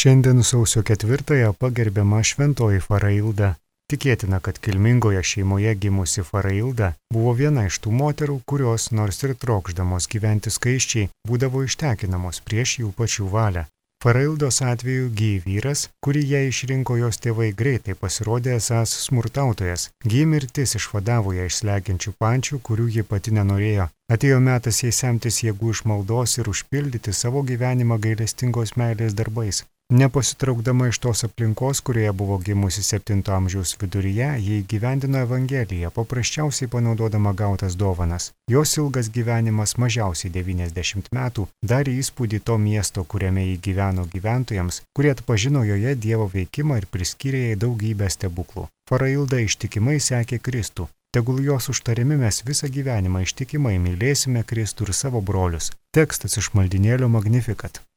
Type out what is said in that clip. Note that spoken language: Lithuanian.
Šiandien sausio 4-ąją pagerbiama šventoji Farailda. Tikėtina, kad kilmingoje šeimoje gimusi Farailda buvo viena iš tų moterų, kurios, nors ir trokšdamos gyventi skaisčiai, būdavo ištekinamos prieš jų pačių valią. Faraildos atveju Gy vyras, kurį ją išrinko jos tėvai, greitai pasirodė esąs smurtautojas. Gy mirtis išvadavo ją iš slegiančių pančių, kurių ji pati nenorėjo. Atėjo metas jai semtis jėgų iš maldos ir užpildyti savo gyvenimą gailestingos meilės darbais. Nepasitraukdama iš tos aplinkos, kurioje buvo gimusi 7 amžiaus viduryje, ji įgyvendino Evangeliją, paprasčiausiai panaudodama gautas dovanas. Jos ilgas gyvenimas, mažiausiai 90 metų, darė įspūdį to miesto, kuriame ji gyveno gyventojams, kurie atpažino joje Dievo veikimą ir priskyrė jai daugybę stebuklų. Farailda ištikimai sekė Kristų. Tegul jos užtarimi mes visą gyvenimą ištikimai mylėsime Kristų ir savo brolius. Tekstas iš maldynėlio Magnificat.